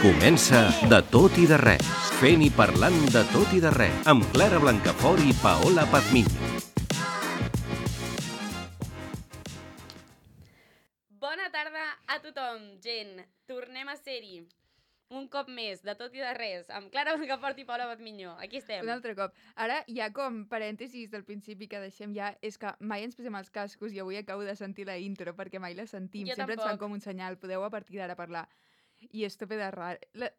Comença De tot i de res, fent i parlant de tot i de res, amb Clara Blancafort i Paola Pazmiño. Bona tarda a tothom, gent. Tornem a ser-hi. Un cop més, de tot i de res, amb Clara Blancafort i Paola Pazmiño. Aquí estem. Un altre cop. Ara, ja com parèntesis del principi que deixem ja, és que mai ens posem els cascos i avui acabo de sentir la intro perquè mai la sentim. Jo Sempre tampoc. ens fan com un senyal. Podeu a partir d'ara parlar. I és tope de rar.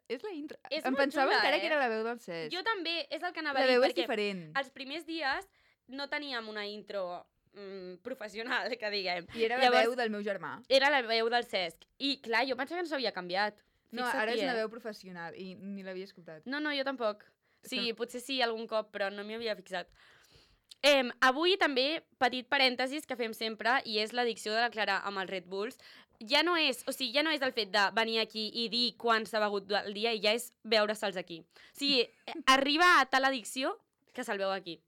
És la intro. És em molt pensava xula, encara que era la veu del Cesc. Jo també, és el que anava La a dir, veu és perquè diferent. els primers dies no teníem una intro professional, que diguem. I era la veu del meu germà. Era la veu del Cesc. I clar, jo pensava que no s'havia canviat. No, Fixa't, ara és una veu professional i ni l'havia escoltat. No, jo tampoc. Sí, Som- potser sí algun cop, però no m'hi havia fixat. Avui també, petit parèntesis que fem sempre, i és l'addicció de la Clara amb els Red Bulls. Ja no és el fet de venir aquí i dir quan s'ha begut el dia, i ja és veure-se'ls aquí. O sigui, arriba a tal addicció que se'l veu aquí.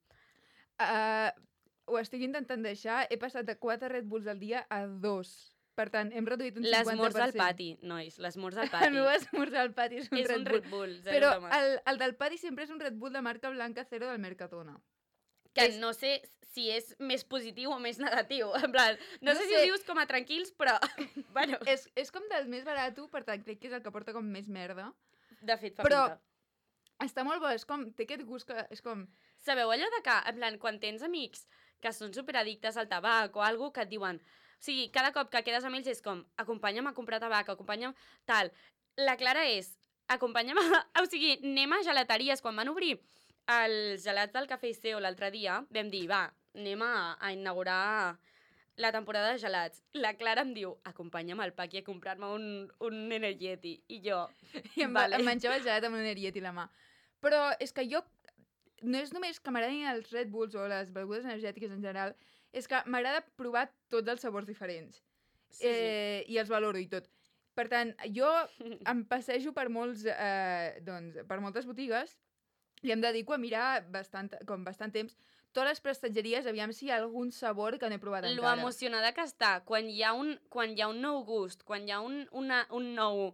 Ho estic intentant deixar. He passat de 4 Red Bulls al dia a 2. Per tant, hem reduït un 50%. L'esmorz al pati, nois, l'esmorz al pati. El meu esmorzar al pati és un És Red un Bull. Red Bull, zero Però bromes. el del pati sempre és un Red Bull de marca blanca cero del Mercadona. Que és- no sé si és més positiu o més negatiu. En plan, no No sé si sé. ho dius com a tranquils, però... bueno, És com del més barat, per tant, crec que és el que porta com més merda. de fet, fa Però- pinta. Està molt bo, és com, té aquest gust que és com... Sabeu allò de que, en plan, quan tens amics que són superaddictes al tabac o algú que et diuen... O sigui, cada cop que quedes amb ells és com, acompanya'm a comprar tabac, acompanya'm... Tal. La Clara és, acompanya'm a... O sigui, anem a gelateries. Quan van obrir els gelats del Cafè Iseo l'altre dia, vam dir, va, anem a inaugurar la temporada de gelats. La Clara em diu, acompanya'm al Paqui a comprar-me un energeti. I jo, I em menjava el gelat amb un eriet i la mà. Però és que jo... No és només que m'agradin els Red Bulls o les begudes energètiques en general, és que m'agrada provar tots els sabors diferents. sí. I els valoro i tot. Per tant, jo em passejo per per moltes botigues i em dedico a mirar bastant temps totes les prestatgeries, aviam si hi ha algun sabor que no he provat Lo encara. emocionada que està quan hi ha un nou gust, quan hi ha un nou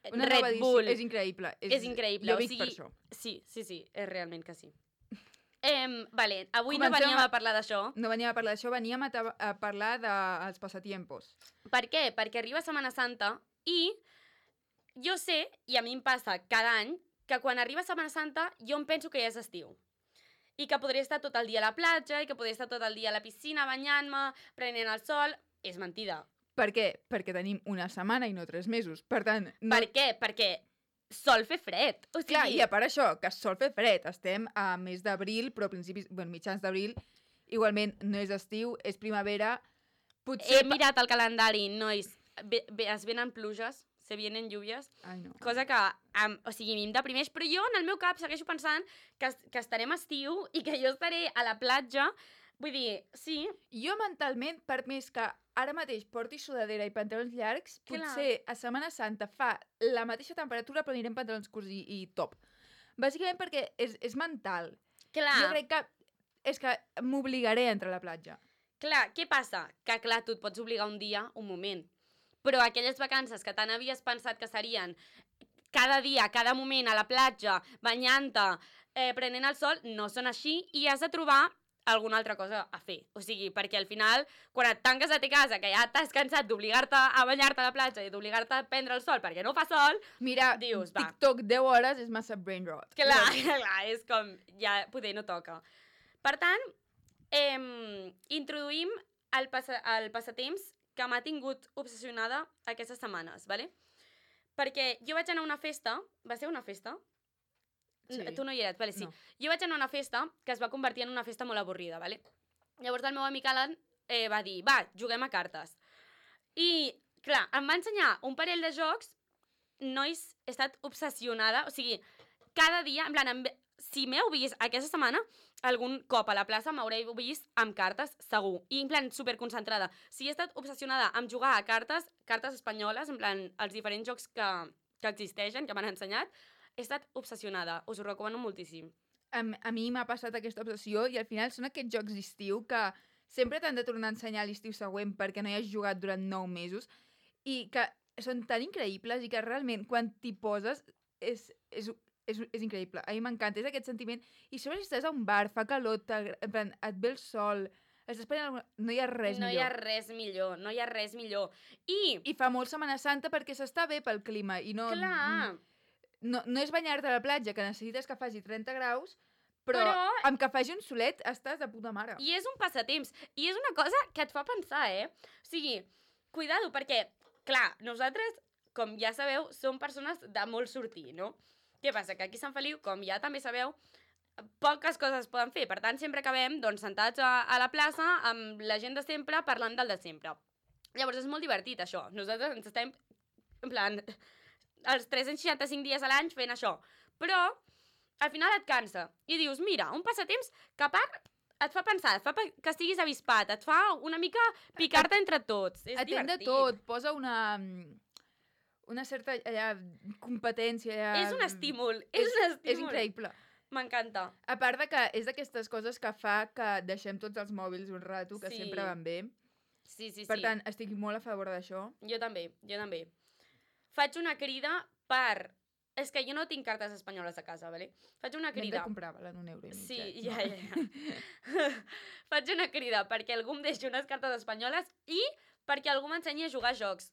Una nova Red edició. Bull. És increïble. És increïble. Jo o vic sigui, per això. Sí, és realment que sí. Vale, avui Comencem no veníem a parlar d'això. No veníem a parlar d'això, veníem a parlar dels passatiempos. Per què? Perquè arriba Setmana Santa i jo sé, i a mi em passa cada any, que quan arriba Setmana Santa jo em penso que ja és estiu. I que podria estar tot el dia a la platja, i que podria estar tot el dia a la piscina banyant-me, prenent el sol. És mentida. Per què? Perquè tenim una setmana i no 3 mesos. Per tant, no... Per què? Perquè sol fer fred. O sigui, Clar, i a part això, que sol fer fred. Estem a mes d'abril, però a principis, mitjans d'abril, igualment no és estiu, és primavera. Potser... he mirat el calendari, nois. Es venen pluges, se vienen lluvias. Ai, no. Cosa que, o sigui, a mi em deprimeix, però jo en el meu cap segueixo pensant que estarem a estiu i que jo estaré a la platja. Vull dir, sí, Jo mentalment, per més que ara mateix porti sudadera i pantalons llargs, Clar. potser a Setmana Santa fa la mateixa temperatura però anirem pantalons curts i top. Bàsicament perquè és mental. clar, Jo crec que és que m'obligaré a entrar a la platja. clar, què passa? Que clar, tu et pots obligar un dia, un moment, però aquelles vacances que tant havies pensat que serien cada dia, cada moment a la platja, banyant-te, prenent el sol, no són així i has de trobar alguna altra cosa a fer. O sigui, perquè al final, quan et tanques a ta casa, que ja t'has cansat d'obligar-te a banyar-te a la platja i d'obligar-te a prendre el sol perquè no fa sol, Mira, Dius, va. TikTok 10 hores és massa brain rot. clar, és com, ja poder no toca. Per tant, introduïm el passatemps que m'ha tingut obsessionada aquestes setmanes, ¿vale? Perquè jo vaig anar a una festa, va ser una festa? Sí. Tu no hi eres, vale, sí. No. Jo vaig anar a una festa que es va convertir en una festa molt avorrida, ¿vale? Llavors el meu amic Alan va dir, va, juguem a cartes. I, clar, em va ensenyar un parell de jocs, nois, he estat obsessionada, o sigui, cada dia, en plan, si m'heu vist aquesta setmana, algun cop a la plaça m'haureu vist amb cartes, segur. I en plan, superconcentrada. Si he estat obsessionada amb jugar a cartes espanyoles, en plan, els diferents jocs que existeixen, que m'han ensenyat, he estat obsessionada. Us ho recomano moltíssim. A mi m'ha passat aquesta obsessió i al final són aquests jocs d'estiu que sempre t'han de tornar a ensenyar l'estiu següent perquè no hi has jugat durant 9 mesos i que són tan increïbles i que realment quan t'hi poses és increïble. A mi m'encanta, és aquest sentiment. I sobre si estàs a un bar, fa calor, en plan, et ve el sol, estàs prenent no hi ha res No millor. hi ha res millor, no hi ha res millor. I fa molt Setmana Santa perquè s'està bé pel clima i no... Clar, No és banyar-te a la platja, que necessites que faci 30 graus, però amb que faci un solet estàs de puta mare. i és un passatemps. I és una cosa que et fa pensar, O sigui, cuidado, perquè, clar, nosaltres, com ja sabeu, som persones de molt sortir, no? Què passa? Que aquí a Sant Feliu, com ja també sabeu, poques coses es poden fer. Per tant, sempre acabem doncs, sentats a la plaça amb la gent de sempre parlant del de sempre. Llavors, és molt divertit, això. Nosaltres ens estem, en plan, els 365 dies a l'any fent això. Però, al final et cansa. I dius, mira, un passatemps que a part et fa pensar, et fa que estiguis avispat, et fa una mica picar-te entre tots. És Atén de divertit. tot, posa una certa competència. És un estímul, és un estímul. És increïble. M'encanta. A part de que és d'aquestes coses que fa que deixem tots els mòbils un rato, que Sí. sempre van bé. Sí. Per tant, estic molt a favor d'això. Jo també. Faig una crida per... És que jo no tinc cartes espanyoles a casa, ¿vale? Faig una N'hem de crida. comprar-la en €1,50. Sí, ja. Faig una crida perquè algú em deixi unes cartes espanyoles i perquè algú m'ensenyi a jugar a jocs.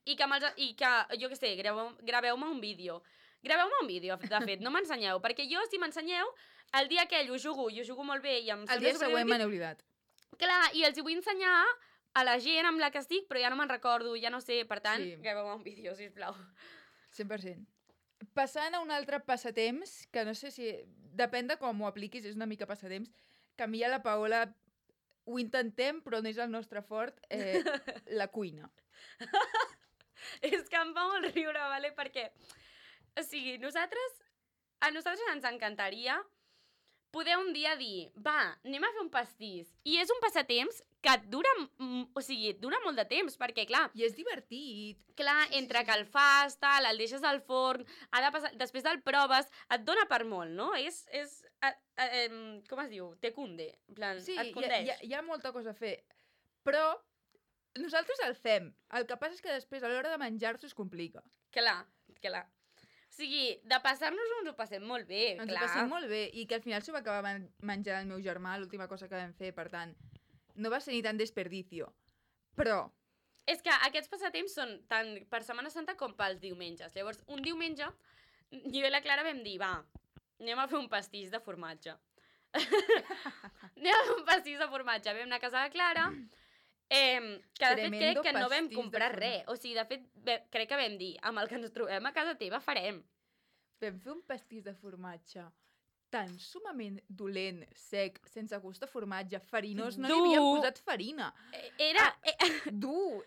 I que, jo què sé, graveu-me un vídeo. Graveu-me un vídeo, de fet, no m'ensenyeu. Perquè jo, si m'ensenyeu, el dia aquell ho jugo molt bé i em El dia següent me n'he oblidat. Clar, i els hi vull ensenyar a la gent amb la que estic, però ja no me'n recordo, ja no sé, per tant, Sí. graveu-me un vídeo, sisplau. 100%. Passant a un altre passatemps, que no sé si... Depèn de com ho apliquis, és una mica passatemps, que a mi i a la Paola ho intentem, però no és el nostre fort, la cuina. És que em fa molt riure, ¿vale? Perquè, o sigui, a nosaltres ens encantaria poder un dia dir, va, anem a fer un pastís. I és un passatemps que et dura, dura molt de temps, perquè, clar, I és divertit. entre que el fas, tal, el deixes al forn, ha de passar, després el proves, et dona per molt, no? Com es diu? Te cunde. En plan, Sí, et condeix. hi ha molta cosa a fer. Però nosaltres el fem. El que passa és que després, a l'hora de menjar-s'ho, es complica. Clar. O sigui, de passar-nos-ho ens ho passem molt bé, Ens clar. ho passem molt bé. I que al final s'ho va acabar menjant el meu germà, l'última cosa que vam fer, per tant, no va ser ni tan desperdicio. Però... És que aquests passatemps són tant per Setmana Santa com pels diumenges. Llavors, un diumenge, jo i la Clara vam dir, va, anem a fer un pastís de formatge. Anem a fer un pastís de formatge. Vam anar a casa de la Clara, que de fet crec que no vam pastís de comprar formatge. res. O sigui, de fet, crec que vam dir, amb el que ens trobem a casa teva farem. Vam fer un pastís de formatge tan sumament dolent, sec, sense gust de formatge, farinós, no li havien posat farina. Era... Dur,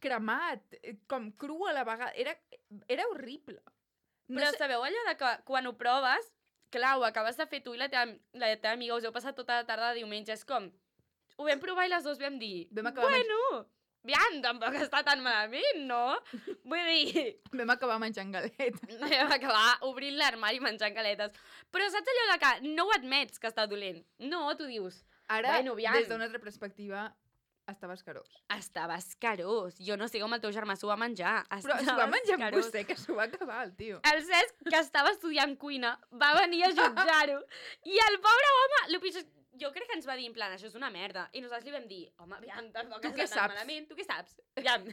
cremat, com cru a la vegada. Era horrible. Però sabeu allò de que quan ho proves, clar, ho acabes de fer tu i la teva amiga, us heu passat tota la tarda de diumenge, és com... Ho vam provar i les dues vam dir, Vam acabar aviam, tampoc està tan malament, no? Vull dir, Vam acabar menjant galetes. vam acabar obrint l'armari menjant galetes. Però saps allò de que no ho admets que està dolent? No, tu dius, Ara, Bueno, aviam. des d'una altra perspectiva, estava escarós. estava escarós. Jo no sé com el teu germà s'ho va menjar. Però s'ho va menjar amb vostè, que s'ho va acabar, el tio. El Cesc, que estava estudiant cuina, va venir a jutjar-ho. I el pobre home, el pitjor, jo crec que ens va dir, en plan, això és una merda. I nosaltres li vam dir, home, aviam, tampoc Tu està què tan saps? malament. Tu què saps? Aviam.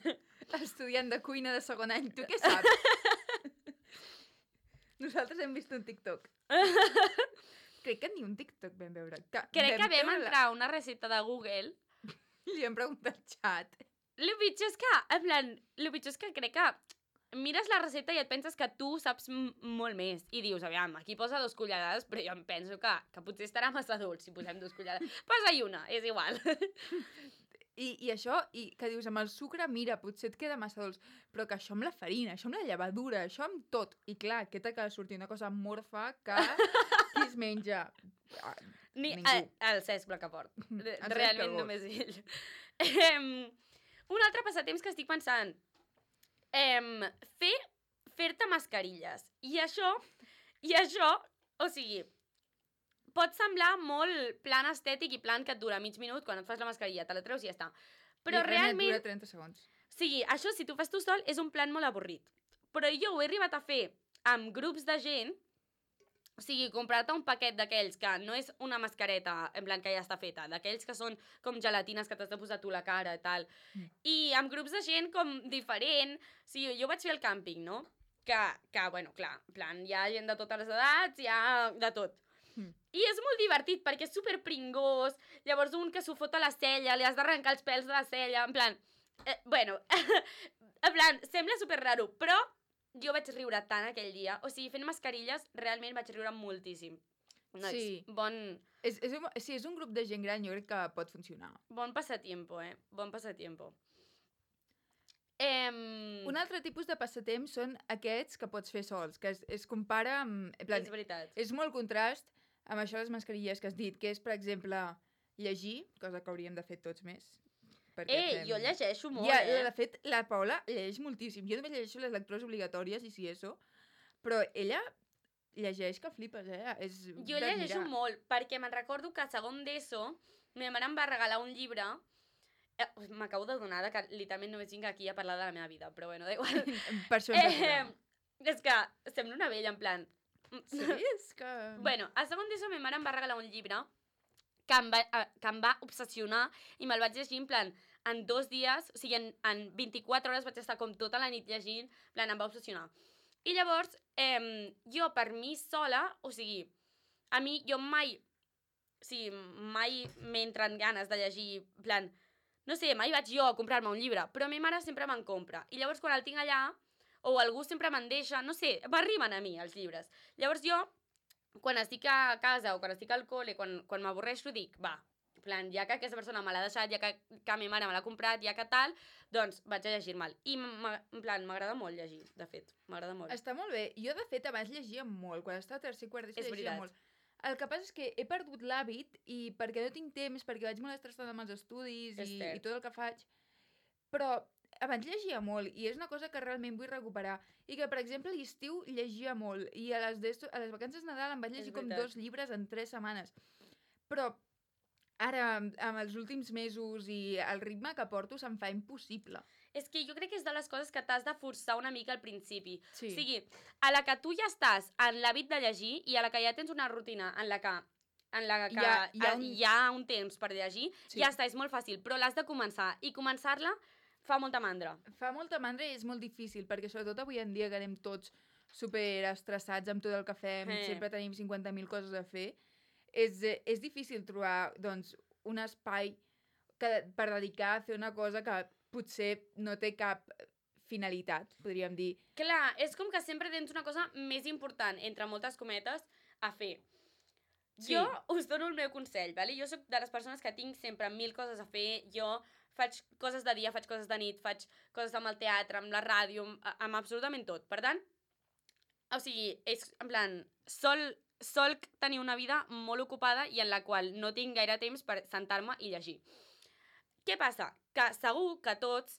Estudiant de cuina de segon any, tu què saps? Nosaltres hem vist un TikTok. Crec que ni un TikTok vam veure. Crec que vam veure entrar a una recepta de Google. Li hem preguntat al xat. El pitjor és que, en plan, el pitjor és que crec que mires la recepta i et penses que tu saps molt més. I dius, aviam, aquí posa 2 cullerades, però jo em penso que potser estarà massa dolç si posem 2 cullerades. Posa-hi una, és igual. I això, i que dius, amb el sucre, mira, potser et queda massa dolç, però que això amb la farina, això amb la llevadura, això amb tot. I clar, què t'acaba sortint una cosa morfa que qui es menja? Ningú. El Cesc Blancafort. Cesc Realment Calbós. només ell. Un altre passatemps que estic pensant. Fer-te mascarilles. I això, o sigui, pot semblar molt plan estètic i plan que et dura mig minut quan et fas la mascarilla, te la treus i ja està. Però I res, realment, dura 30 segons. sigui, això, si tu fas tu sol, és un plan molt avorrit. Però jo ho he arribat a fer amb grups de gent, o sigui, comprar-te un paquet d'aquells que no és una mascareta, en plan que ja està feta, d'aquells que són com gelatines que t'has de posar tu la cara i tal. I amb grups de gent com diferent. O sigui, jo vaig fer el càmping, no? Que bueno, clar, en plan, hi ha gent de totes les edats, hi ha de tot. I és molt divertit perquè és super pringós, llavors un que s'ho fot a la cella, li has d'arrencar els pèls de la cella, en plan... bueno, en plan, sembla super raro, però jo vaig riure tant aquell dia. O sigui, fent mascarilles, realment vaig riure moltíssim. Nois, Sí. És un grup de gent gran, jo crec que pot funcionar. Bon passatiempo, Bon passatiempo. Un altre tipus de passatemps són aquests que pots fer sols, que es compara amb... En plan, És veritat. és molt contrast amb això de les mascarilles que has dit, que és, per exemple, llegir, cosa que hauríem de fer tots més. Jo llegeixo molt, De fet, la Paula llegeix moltíssim. Jo només llegeixo les lectures obligatòries i si eso, però ella llegeix que flipes, Jo llegeixo molt, perquè me'n recordo que a segon d'ESO ma mare em va regalar un llibre. M'acabo d'adonar que literalment només vinc aquí a parlar de la meva vida, però bueno, da igual. Per això ens aturem. És que sembla una vella, en plan... Sí, és que... Bueno, a segon d'ESO ma mare em va regalar un llibre que em va obsessionar i me'l vaig llegir en plan en 2 dies, o sigui, en 24 hores vaig estar com tota la nit llegint, en plan, em va obsessionar. I llavors, jo per mi sola, o sigui, a mi, jo mai m'entren ganes de llegir, en plan, no sé, mai vaig jo a comprar-me un llibre, però ma mare sempre me'n compra. I llavors quan el tinc allà, o algú sempre me'n deixa, no sé, m'arriben a mi els llibres. Llavors jo, quan estic a casa o quan estic al col·le, quan m'avorreixo, dic, va, en plan, ja que aquesta persona me l'ha deixat, ja que ma mare me l'ha comprat, ja que tal, doncs vaig a llegir-me'l. I, en plan, m'agrada molt llegir, de fet, m'agrada molt. Està molt bé. Jo, de fet, abans llegia molt. Quan estava a tercer i quart d'ESO llegia molt. El que passa és que he perdut l'hàbit i perquè no tinc temps, perquè vaig molt estressada amb els estudis i tot el que faig, però abans llegia molt i és una cosa que realment vull recuperar. I que, per exemple, a l'estiu llegia molt i a les vacances de Nadal em vaig llegir com 2 llibres en 3 setmanes. Però ara, amb els últims mesos i el ritme que porto, se'm fa impossible. És que jo crec que és de les coses que t'has de forçar una mica al principi. Sí. O sigui, a la que tu ja estàs en l'hàbit de llegir i a la que ja tens una rutina en la que hi ha un temps per llegir, ja està, és molt fàcil, però l'has de començar. I començar-la fa molta mandra. Fa molta mandra i és molt difícil, perquè sobretot avui en dia que anem tots super estressats amb tot el que fem, sempre tenim 50.000 coses a fer, és difícil trobar, doncs, un espai per dedicar a fer una cosa que potser no té cap finalitat, podríem dir. Clar, és com que sempre tens una cosa més important, entre moltes cometes, a fer. Sí. Jo us dono el meu consell, ¿vale? Jo soc de les persones que tinc sempre 1000 coses a fer, jo faig coses de dia, faig coses de nit, faig coses amb el teatre, amb la ràdio, amb absolutament tot. Per tant, o sigui, és en plan, sol tenir una vida molt ocupada i en la qual no tinc gaire temps per sentar-me i llegir. Què passa? Que segur que tots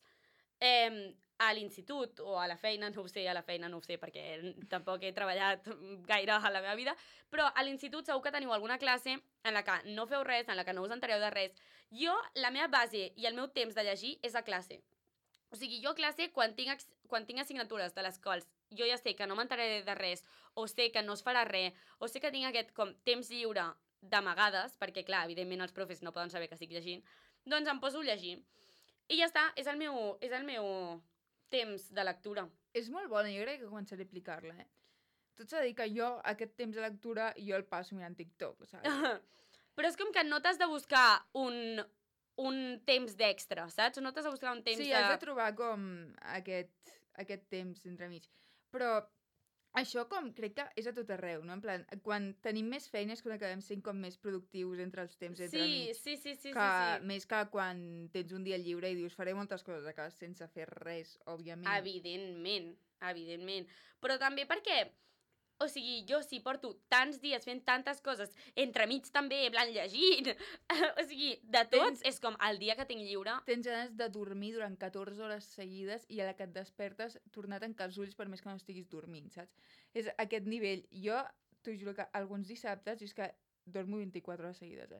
a l'institut o a la feina, no ho sé perquè tampoc he treballat gaire a la meva vida, però a l'institut segur que teniu alguna classe en la que no feu res, en la que no us entereu de res. Jo, la meva base i el meu temps de llegir és a classe. O sigui, jo a classe, quan tinc assignatures de les quals jo ja sé que no m'enteraré de res, o sé que no es farà res, o sé que tinc aquest com temps lliure d'amagades, perquè clar, evidentment els profes no poden saber que estic llegint, doncs em poso a llegir. I ja està, és el meu temps de lectura. És molt bona, jo crec que començaré a aplicar-la, Tot s'ha de dir que jo, aquest temps de lectura, jo el passo mirant TikTok, saps? Però és com que no t'has de buscar un temps d'extra, saps? No t'has de buscar un temps Sí, has de trobar com aquest temps entremig. Però això com crec que és a tot arreu, no? En plan, quan tenim més feines, quan acabem sent com més productius entre els temps entremig. Sí. Més que quan tens un dia lliure i dius faré moltes coses a casa sense fer res, òbviament. Evidentment. Però també perquè, o sigui, jo sí porto tants dies fent tantes coses, entremig també, blanc llegint, o sigui, de tot, és com el dia que tinc lliure... Tens ganes de dormir durant 14 hores seguides i a la que et despertes tornar a tancar els ulls per més que no estiguis dormint, saps? És aquest nivell. Jo t'ho juro que alguns dissabtes és que dormo 24 hores seguides,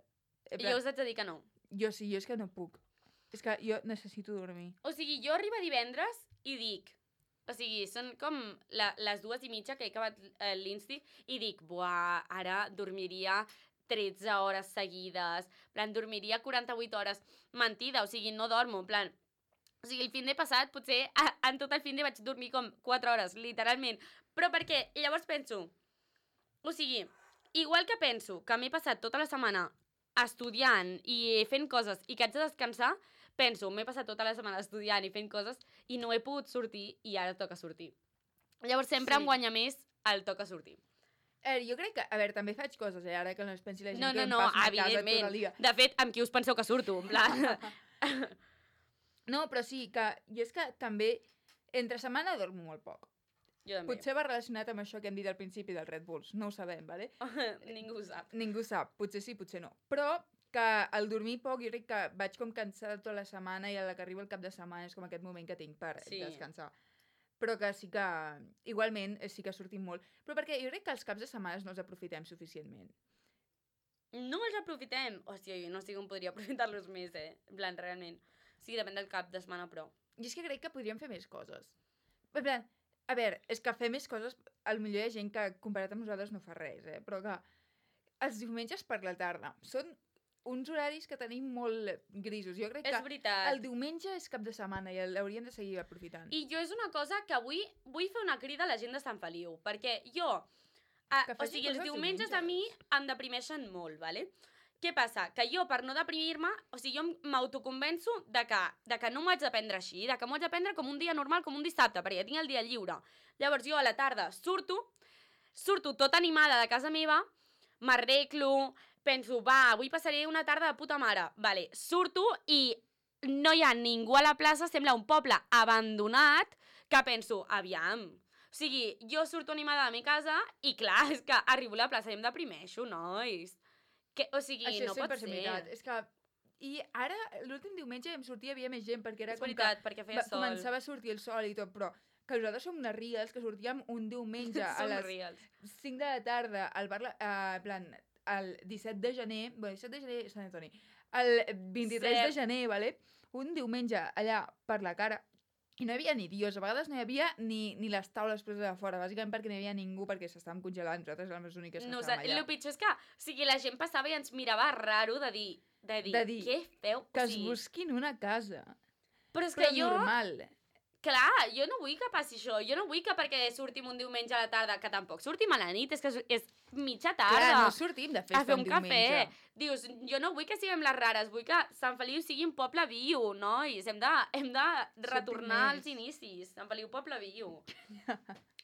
I jo us haig de dir que no. Jo sí, jo és que no puc. És que jo necessito dormir. O sigui, jo arribo divendres i dic... O sigui, són com les 2:30 que he acabat l'insti i dic, buah, ara dormiria 13 hores seguides, en plan, dormiria 48 hores. Mentida, o sigui, no dormo, en plan... O sigui, el fin de passat, potser en tot el fin de vaig dormir com 4 hores, literalment. Però perquè llavors penso... O sigui, igual que penso que m'he passat tota la setmana estudiant i fent coses i que haig de descansar, penso, m'he passat tota la setmana estudiant i fent coses i no he pogut sortir i ara toca sortir. Llavors sempre em guanya més el toca sortir. Jo crec que, a veure, també faig coses, ara que no es pensi la gent que em No, passo a casa tot evidentment. el dia. De fet, amb qui us penseu que surto? En plan... No, però sí, que jo és que també entre setmana dormo molt poc. Jo també. Potser va relacionat amb això que hem dit al principi dels Red Bulls, no ho sabem, vale? Ningú ho sap. Ningú sap, potser sí, potser no. Però que al dormir poc jo crec que vaig com cansada tota la setmana i a la que arriba el cap de setmana és com aquest moment que tinc per descansar. Però que sí que, igualment, sí que sortim molt. Però perquè jo crec que els caps de setmana no els aprofitem suficientment. No els aprofitem. Hòstia, jo no sé com podria aprofitar-los més, En plan, realment. Sí, depèn del cap de setmana, però... I és que crec que podríem fer més coses. En plan, a veure, és que fer més coses, potser hi ha gent que comparat amb nosaltres no fa res, però que els diumenges per la tarda són uns horaris que tenim molt grisos. Jo crec que el diumenge és cap de setmana i l'hauríem de seguir aprofitant. I jo és una cosa que avui vull fer una crida a la gent de Sant Feliu, perquè jo... o sigui, els diumenges a mi em deprimeixen molt, ¿vale? Què passa? Que jo, per no deprimir-me, o sigui, jo m'autoconvenço de que no m'ho haig de prendre així, de que m'ho haig de prendre com un dia normal, com un dissabte, perquè ja tinc el dia lliure. Llavors jo a la tarda surto tota animada de casa meva, m'arreglo, penso, va, avui passaré una tarda de puta mare. Vale, surto i no hi ha ningú a la plaça, sembla un poble abandonat, que penso, aviam. O sigui, jo surto animada de la meva casa i clar, és que arribo a la plaça i em deprimeixo, nois. O sigui, això no pot ser. Veritat. És que... I ara, l'últim diumenge vam sortir, hi havia més gent, perquè era és veritat, perquè feia sol. Començava a sortir el sol i tot, però que nosaltres som unes reals, que sortíem un diumenge a les 5 de la tarda al bar, plan, el 17 de gener, bueno, 17 de gener Sant Antoni, el 23 de gener, vale? Un diumenge allà per la cara, i no hi havia ni dios, a vegades no hi havia ni les taules preses a fora, bàsicament perquè no hi havia ningú, perquè s'estàvem congelant, nosaltres érem les úniques que estàvem allà. El pitjor és que, o sigui, la gent passava i ens mirava raro de dir què feu? Que es busquin una casa. Però és que jo... normal. Clar, jo no vull que passi això, jo no vull que perquè sortim un diumenge a la tarda, que tampoc sortim a la nit, és que és mitja tarda. Clar, no sortim de festa un diumenge. Cafè. Dius, jo no vull que siguem les rares, vull que Sant Feliu sigui un poble viu, nois, hem de retornar als inicis, Sant Feliu poble viu.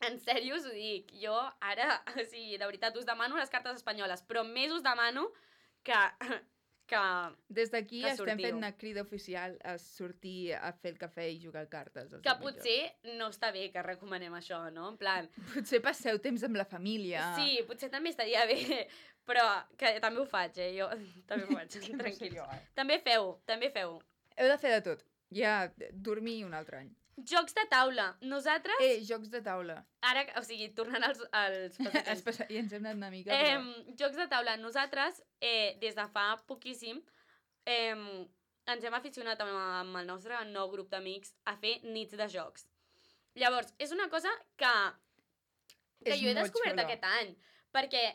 En sèrio us ho dic, jo ara, o sigui, de veritat, us demano les cartes espanyoles, però més us demano que des d'aquí estem fent una crida oficial a sortir a fer el cafè i jugar a cartes. Que potser no està bé que recomanem això, no? En plan... Potser passeu temps amb la família. Sí, potser també estaria bé, però que també ho faig, jo també ho faig, tranquil. També feu. Heu de fer de tot. Ja dormir un altre any. Jocs de taula. Nosaltres... jocs de taula. Ara, o sigui, tornant als passatins. I ens hem anat una mica. Jocs de taula. Nosaltres, des de fa poquíssim, ens hem aficionat amb el nostre nou grup d'amics a fer nits de jocs. Llavors, és una cosa que jo he descobert aquest any, perquè,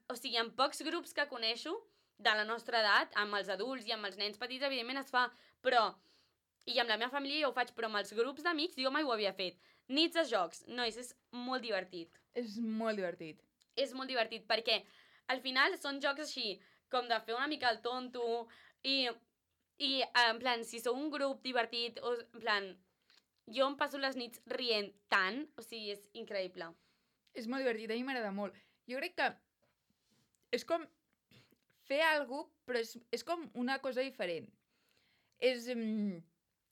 o sigui, en pocs grups que coneixo de la nostra edat, amb els adults i amb els nens petits, evidentment es fa, però... I amb la meva família ja ho faig, però amb els grups d'amics jo mai ho havia fet. Nits de jocs. Nois, és molt divertit. És molt divertit. És molt divertit, perquè al final són jocs així, com de fer una mica el tonto, i en plan, si sou un grup divertit, en plan, jo em passo les nits rient tant, o sigui, és increïble. És molt divertit, a mi m'agrada molt. Jo crec que és com fer alguna cosa, però és com una cosa diferent.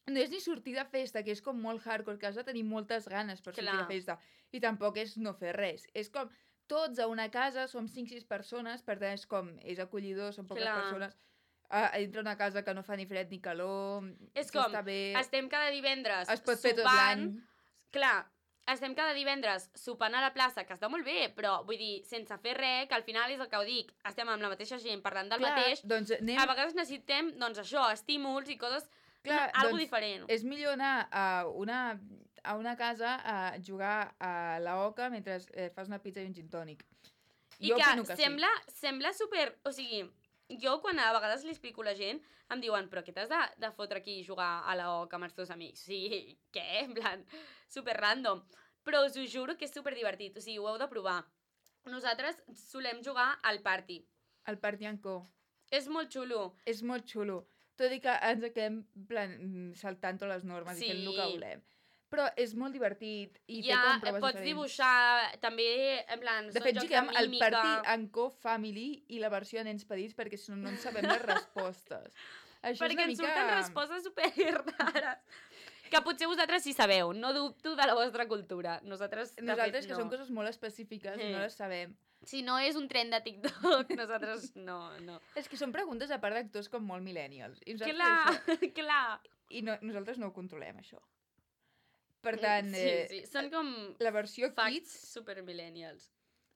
No és ni sortir de festa, que és com molt hardcore, que has de tenir moltes ganes per sortir de festa. I tampoc és no fer res. És com tots a una casa, som 5-6 persones, per tant és acollidor, són poques persones. Dintre una casa que no fa ni fred ni calor. És com, estem cada divendres es pot fer tot l'any. Clar, estem cada divendres sopant a la plaça, que està molt bé, però vull dir, sense fer res, que al final és el que ho dic, estem amb la mateixa gent parlant del mateix. Doncs a vegades necessitem, doncs això, estímuls i coses Clar, Algo doncs, diferent. és millor anar a una casa a jugar a la oca mentre fas una pizza i un gin tònic. I Jo que opino que sembla super... O sigui, jo quan a vegades li explico a la gent em diuen, però què t'has de fotre aquí i jugar a la oca amb els teus amics? O sigui, què? En plan, super random. Però us ho juro que és super divertit. O sigui, ho heu de provar. Nosaltres solem jugar al party. El Partianco És molt xulo. és molt xulo. Tot i que ens quedem en plan, saltant totes les normes i fent el que Sí. volem. Però és molt divertit i té Ja com proves pots diferents. dibuixar, també, en plan, De són fet, jocs juguem de al mímica. Party and Co Family i la versió de nens petits perquè si no, no en sabem les respostes. Això Perquè és una ens mica... surten respostes super rares. Que potser vosaltres sí sabeu, no dubto de la vostra cultura. Nosaltres, de Nosaltres, fet, que no. són coses molt específiques i no les sabem. Si no és un tren de TikTok, nosaltres no. És que són preguntes a part d'actors com molt millennials. I nosaltres, Clar, clar. I nosaltres no ho controlem, això. Per tant, Sí, són com la versió facts Kids... super millennials.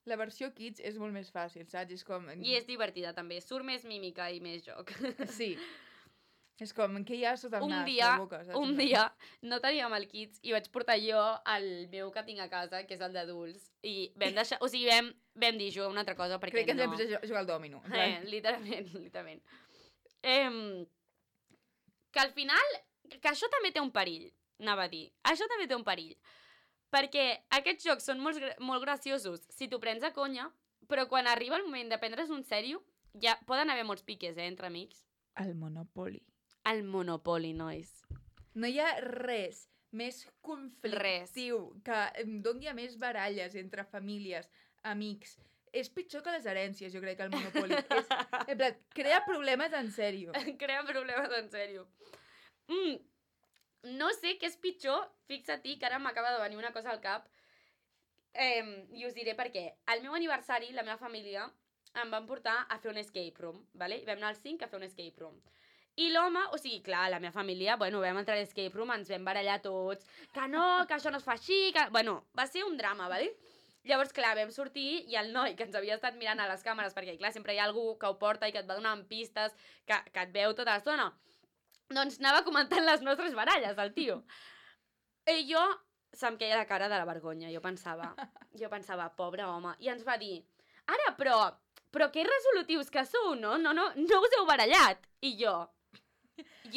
La versió Kids és molt més fàcil, saps? És com... I és divertida, també. Surt més mímica i més joc. Sí. És com, què hi ha sota el Un nas, dia, la boca, saps? un dia no teníem el Kids i vaig portar jo el meu que tinc a casa, que és el d'adults, i vam deixar... O sigui, vam dir, jugar una altra cosa perquè Crec que ens no... vam posar a jugar al dòmino. en plan. Literalment. Que al final, que això també té un perill, anava a dir. Això també té un perill. Perquè aquests jocs són molt graciosos si t'ho prens a conya, però quan arriba el moment de prendre's un sèrio, ja poden haver molts piques, entre amics. El Monopoly. El Monopoly, nois. No hi ha res més conflictiu que em doni a més baralles entre famílies, amics. És pitjor que les herències, jo crec, que el Monopoly. En plan, crea problemes en sèrio. Crea problemes en sèrio. No sé què és pitjor, fixa-t'hi que ara m'acaba de venir una cosa al cap, i us diré per què. Al meu aniversari, la meva família em van portar a fer un escape room, ¿vale? I vam anar als 5 a fer un escape room. I l'home, o sigui, clar, la meva família, bueno, vam entrar a l'escape room, ens vam barallar tots, que no, que això no es fa així, que... Bueno, va ser un drama, ¿vale? Llavors, clar, vam sortir i el noi que ens havia estat mirant a les càmeres, perquè, clar, sempre hi ha algú que ho porta i que et va donant pistes, que et veu tota l'estona, doncs anava comentant les nostres baralles, el tio. I jo, se'm queia la cara de la vergonya, jo pensava, pobre home, i ens va dir, ara, però que resolutius que sou, no? No us heu barallat. I jo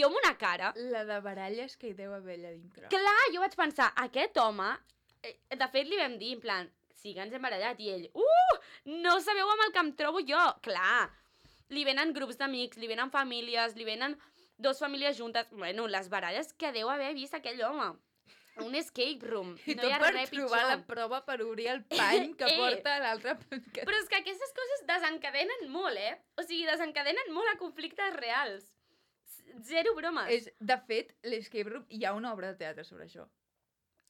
amb una cara... La de baralles que hi deu haver allà dintre. Clar, jo vaig pensar, aquest home... De fet, li vam dir, en plan, sí que ens hem barallat, i ell, no sabeu amb el que em trobo jo. Clar, li venen grups d'amics, li venen famílies, li venen 2 famílies juntes. Bueno, les baralles que deu haver vist aquell home. Un escape room. I no tot hi ha per res trobar pitjor. la prova per obrir el pany que porta l'altre... Però és que aquestes coses desencadenen molt, O sigui, desencadenen molt a conflictes reals. Zero bromes. De fet, l'escape room, hi ha una obra de teatre sobre això.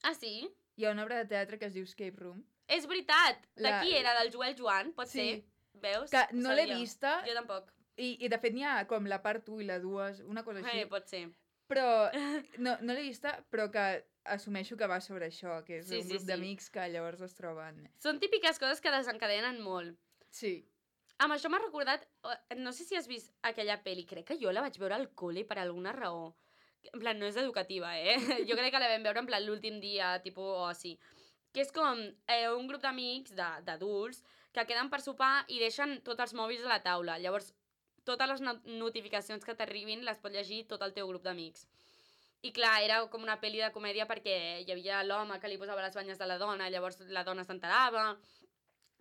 Ah, sí? Hi ha una obra de teatre que es diu Escape Room. És veritat. De qui era? Del Joel Joan? Pot Sí. ser? Veus? Que no l'he Sabia. vista. Jo tampoc. I de fet n'hi ha com la part 1 i la 2, una cosa així. Pot ser. Però no l'he vista, però que assumeixo que va sobre això, que és un grup d'amics que llavors es troben. Són típiques coses que desencadenen molt. Sí. Amb això m'ha recordat, no sé si has vist aquella pel·li, crec que jo la vaig veure al col·le per alguna raó. En plan, no és educativa, Jo crec que la vam veure en plan l'últim dia, tipus oci. Que és com un grup d'amics, d'adults, que queden per sopar i deixen tots els mòbils a la taula. Llavors, totes les notificacions que t'arribin les pot llegir tot el teu grup d'amics. I clar, era com una pel·li de comèdia perquè hi havia l'home que li posava les banyes de la dona, llavors la dona s'enterava.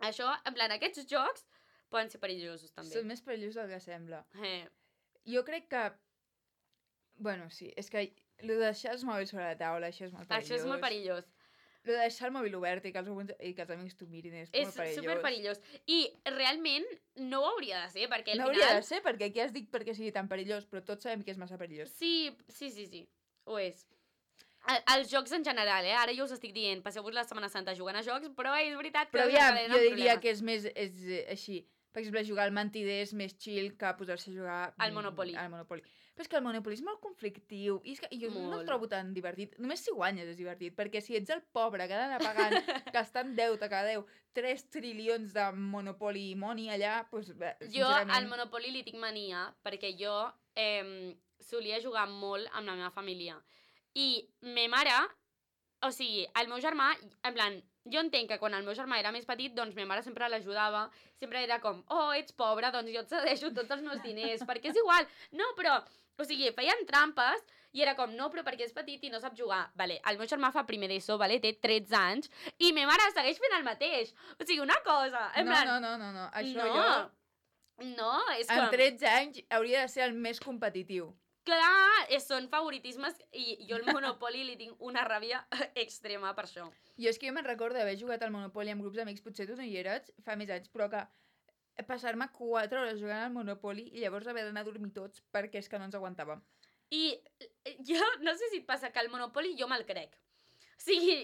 Això, en plan, aquests jocs poden ser perillosos, també. Són més perillosos del que sembla. Eh. Jo crec que... Bueno, sí, és que el de deixar els mòbils sobre la taula, això és molt perillós. Això és molt perillós. El de deixar el mòbil obert i que els amics t'ho mirin és molt perillós. És superperillós. I realment no ho hauria de ser, perquè al no final... hauria de ser, perquè aquí has dit perquè sigui tan perillós, però tots sabem que és massa perillós. Sí, ho és. Els jocs en general, ara jo us estic dient, passeu-vos la Setmana Santa jugant a jocs, però és veritat que... Però aviam, jo diria problemes. que és més així. Per exemple, jugar al Mentider és més chill que posar-se a jugar... Al Monopoly. Al Monopoly. Però és que el Monopoly és molt conflictiu i és que jo no el trobo tan divertit. Només si guanyes és divertit, perquè si ets el pobre que ha d'anar pagant, gastant deute cada 3 trilions de Monopoly money allà, doncs, Jo al Monopoly li tinc mania, perquè jo solia jugar molt amb la meva família. I ma mare, o sigui, el meu germà, en plan, jo entenc que quan el meu germà era més petit, doncs ma mare sempre l'ajudava, sempre era com, ets pobra, doncs jo et cedeixo tots els meus diners, perquè és igual. No, però, o sigui, feien trampes i era com, no, però perquè és petit i no sap jugar. Vale, el meu germà fa primer d'ESO, vale, té 13 anys, i ma mare segueix fent el mateix. O sigui, una cosa, en plan... No, això no, jo... No, és amb com... 13 anys hauria de ser el més competitiu. Clar, són favoritismes i jo al Monopoly li tinc una ràbia extrema per això. Jo és que jo me'n recordo d'haver jugat al Monopoly amb grups d'amics, potser tu no hi eres, fa més anys, però que passar-me 4 hores jugant al Monopoly i llavors haver d'anar a dormir tots perquè és que no ens aguantàvem. I jo no sé si et passa que al Monopoly jo me'l crec. O sigui,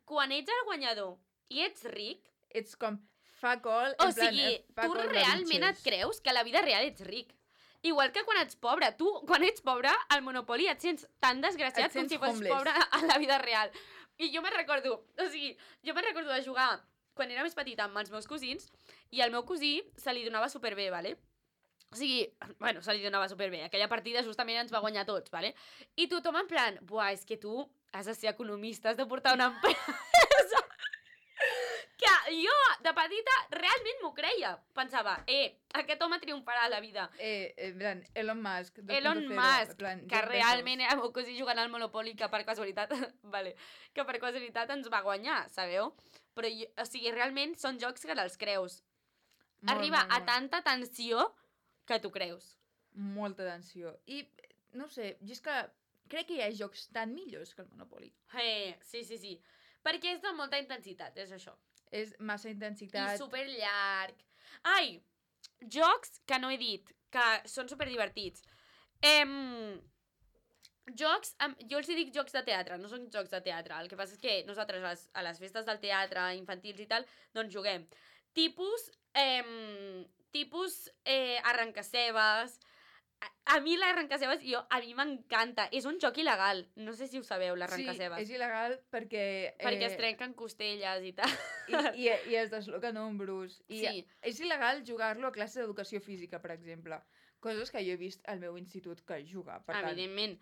quan ets el guanyador i ets ric... Ets com fuck all, o sigui, tu realment et creus que a la vida real ets ric. Igual que quan ets pobre. Tu, quan ets pobre, al Monopoly et sents tan desgraciat com si fossis pobre a la vida real. I jo me'n recordo, o sigui, de jugar quan era més petita amb els meus cosins i al meu cosí se li donava superbé, vale? O sigui, bueno, se li donava superbé. Aquella partida justament ens va guanyar tots, vale? I tothom en plan, buah, és que tu has de ser economista, has de portar una empresa... Que jo, de petita, realment m'ho creia. Pensava, aquest home triomfarà a la vida. Elon Musk. Elon Musk, que realment era el meu cosí jugant al Monopoly, que per casualitat, que per casualitat ens va guanyar, sabeu? Però, o sigui, realment són jocs que te'ls creus. Arriba a tanta tensió que t'ho creus. Molta tensió. I, no sé, jo és que crec que hi ha jocs tan millors que el Monopoly. Sí. Perquè és de molta intensitat, és això. És massa intensitat. I superllarg. Ai, jocs que no he dit, que són superdivertits. Jocs, jo els dic jocs de teatre, no són jocs de teatre. El que passa és que nosaltres a les festes del teatre infantils i tal, doncs juguem. Tipus arrencacebes. A mi l'arrencacebes, a mi m'encanta. És un joc il·legal. No sé si ho sabeu, l'arrencacebes. Sí, és il·legal perquè... Perquè es trenquen costelles i tal. I es desloquen ombros. I és il·legal jugar-lo a classe d'educació física, per exemple. Coses que jo he vist al meu institut que juga. Evidentment.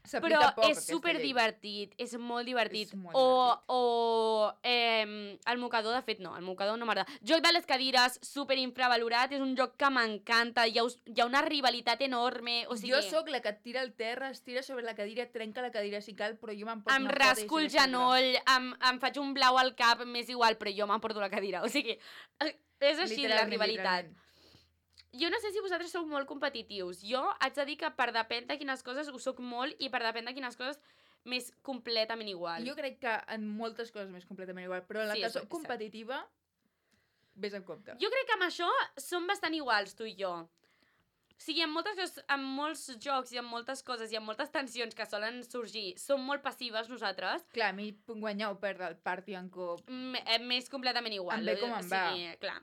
Però és superdivertit, és molt divertit. O el mocador, de fet no, el mocador no m'agrada. Joc de les cadires, superinfravalorat, és un joc que m'encanta, hi ha una rivalitat enorme, o sigui... Jo sóc la que et tira el terra, es tira sobre la cadira, trenca la cadira si cal, però jo m'emporto una cadira. Em rasco el genoll, em faig un blau al cap, m'és igual, però jo m'emporto la cadira, o sigui, és així la rivalitat. Jo no sé si vosaltres sou molt competitius. Jo haig de dir que per depèn de quines coses ho soc molt i per depèn de quines coses m'és completament igual. Jo crec que en moltes coses m'és completament igual, però en la que soc competitiva, vés en compte. Jo crec que amb això som bastant iguals, tu i jo. O sigui, en molts jocs i en moltes coses i en moltes tensions que solen sorgir, som molt passives nosaltres. Clar, a mi guanyar o perdre el party en cop... M'és completament igual. Em ve com em va. Sí, clar.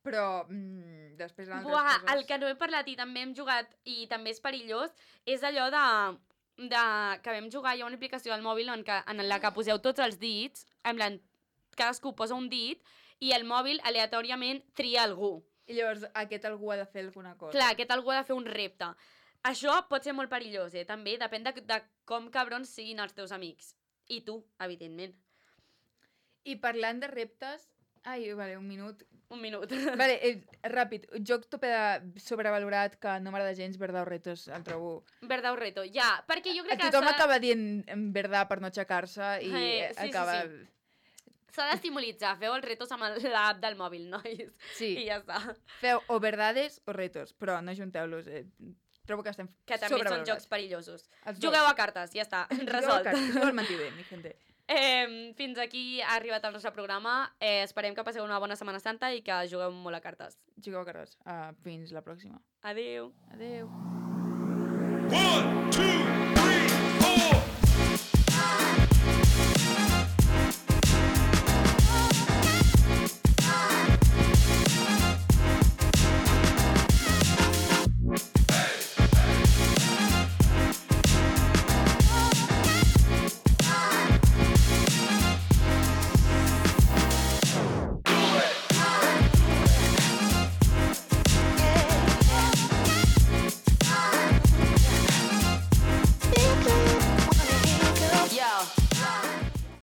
Però després en altres coses... El que no he parlat i també hem jugat i també és perillós és allò que vam jugar, hi ha una aplicació al mòbil en la que poseu tots els dits, en plan, cadascú posa un dit i el mòbil aleatòriament tria algú. I llavors aquest algú ha de fer alguna cosa. Clar, aquest algú ha de fer un repte. Això pot ser molt perillós, també, depèn de com cabrons siguin els teus amics. I tu, evidentment. I parlant de reptes... Ai, vale, un minut. Vale, ràpid. Joc tope sobrevalorat que no m'agrada gens, Verdad o Retos, el trobo. Verdad o Reto, ja, perquè jo crec que... Tothom acaba dient Verdad per no aixecar-se i acaba... S'ha d'estimulitzar, feu els retos amb l'app del mòbil, nois. Sí. I ja està. Feu o verdades o retos, però no junteu-los. Trobo que estem que també són jocs perillosos. Jugueu a cartes, ja està, resolt. Jugueu al mentider, mi gente. Fins aquí ha arribat el nostre programa. Esperem que passeu una bona Setmana Santa i que jugueu molt a cartes. Jugueu a cartes. Fins la pròxima. Adéu. Adéu. 1, 2, 3, 4